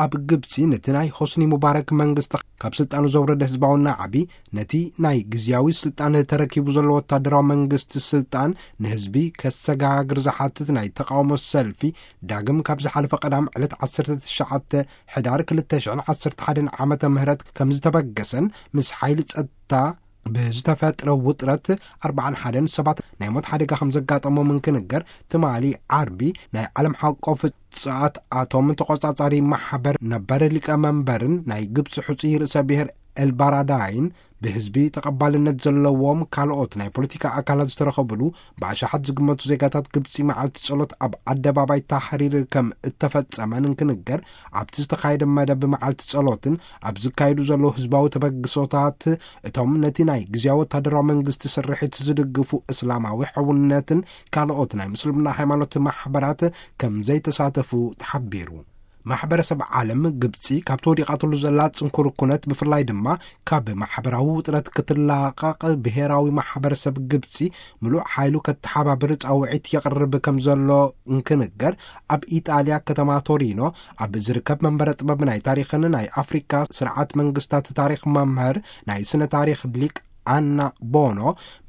ኣብ ግብጺ ነቲ ናይ ሆስኒ ሙባረክ መንግስቲ ካብ ስልጣኑ ዘውረደ ህዝባዊ ናዕቢ፣ ነቲ ናይ ግዝያዊ ስልጣን ተረኪቡ ዘሎ ወታደራዊ መንግስቲ ስልጣን ንህዝቢ ከሰጋግር ዝሓትት ናይ ተቃውሞ ሰልፊ፣ ዳግም ካብ ዝሓለፈ ቀዳም ዕለት ዓሰርተ ትሽዓተ ሕዳር ክልተ ሽሕን ዓሰርተ ሓደን ዓመተ ምህረት ከም ዝተበገሰን፣ ምስ ሓይሊ ጸጥታ ብዝተፈጥረ ውጥረት ኣርባዓን ሓደን ሰባት ናይ ሞት ሓደጋ ከም ዘጋጠሞም እንክንገር፣ ትማሊ ዓርቢ ናይ ዓለም ሓቆፍ ጽዓት ኣቶም ተቖጻጻሪ ማሕበር ነበር ሊቀመንበርን ናይ ግብጺ ሕጹይ ርእሰ ብሔር ኤልባራዳይን ብህዝቢ ተቐባልነት ዘለዎም ካልኦት ናይ ፖለቲካ ኣካላት ዝተረኸብሉ ብኣሽሓት ዝግመቱ ዜጋታት ግብጺ መዓልቲ ጸሎት ኣብ ኣደባባይ ታሕሪር ከም እተፈጸመን እንክንገር፣ ኣብቲ ዝተኻየደ መደብ መዓልቲ ጸሎትን ኣብ ዝካየዱ ዘለዉ ህዝባዊ ተበግሶታት እቶም ነቲ ናይ ግዝያዊ ወታደራዊ መንግስቲ ስርሒት ዝድግፉ እስላማዊ ሕውነትን ካልኦት ናይ ምስልምና ሃይማኖት ማሕበራት ከም ዘይተሳተፉ ተሓቢሩ። ማሕበረሰብ ዓለም ግብጺ ካብቲ ወዲቓትሉ ዘላ ጽንኩር ኩነት ብፍላይ ድማ ካብ ማሕበራዊ ውጥረት ክትላቐቕ ብሄራዊ ማሕበረሰብ ግብጺ ምሉእ ሓይሉ ከተሓባብር ጻውዒት የቕርብ ከም ዘሎ እንክንገር፣ ኣብ ኢጣልያ ከተማ ቶሪኖ ኣብ ዝርከብ መንበረ ጥበብ ናይ ታሪኽን ናይ ኣፍሪካ ስርዓት መንግስታት ታሪኽ መምህር ናይ ስነ ታሪኽ ሊቅ ኣና ቦኖ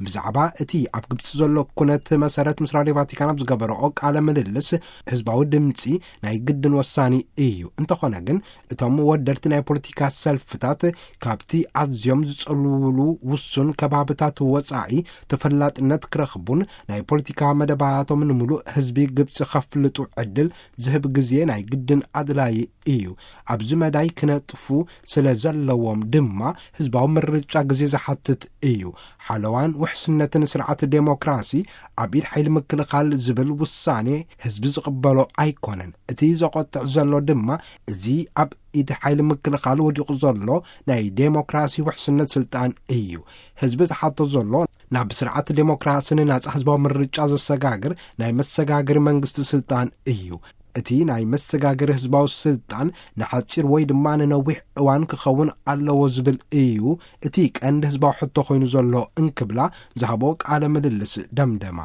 ብዛዕባ እቲ ኣብ ግብጺ ዘሎ ኩነት መሰረት ምስ ራድዮ ቫቲካን ኣብ ዝገበረኦ ቃለ ምልልስ፣ ህዝባዊ ድምጺ ናይ ግድን ወሳኒ እዩ። እንተኾነ ግን፣ እቶም ወደድቲ ናይ ፖለቲካ ሰልፍታት ካብቲ ኣዝዮም ዝጽልውሉ ውሱን ከባብታት ወጻኢ ተፈላጥነት ክረኽቡን ናይ ፖለቲካ መደባቶም ንምሉእ ህዝቢ ግብጺ ከፍልጡ ዕድል ዝህብ ግዜ ናይ ግድን ኣድላዪ እዩ። ኣብዚ መዳይ ክነጥፉ ስለ ዘለዎም ድማ ህዝባዊ ምርጫ ግዜ ዝሓትት እዩ። ሓለዋን ውሕስነትን ስርዓት ዴሞክራሲ ኣብ ኢድ ሓይሊ ምክልኻል ዝብል ውሳኔ ህዝቢ ዝቕበሎ ኣይኮነን። እቲ ዘቖጥዕ ዘሎ ድማ እዚ ኣብ ኢድ ሓይሊ ምክልኻል ወዲቑ ዘሎ ናይ ዴሞክራሲ ውሕስነት ስልጣን እዩ። ህዝቢ ዝሓቶ ዘሎ ናብ ስርዓት ዴሞክራስን ናጻ ህዝባዊ ምርጫ ዘሰጋግር ናይ መሰጋገሪ መንግስቲ ስልጣን እዩ። እቲ ናይ መሰጋገሪ ህዝባዊ ስልጣን ንሓጺር ወይ ድማ ንነዊሕ እዋን ክኸውን ኣለዎ ዝብል እዩ እቲ ቀንዲ ህዝባዊ ሕቶ ኮይኑ ዘሎ እንክብላ ዝሃቦ ቃለ ምልልስ ደምደማ።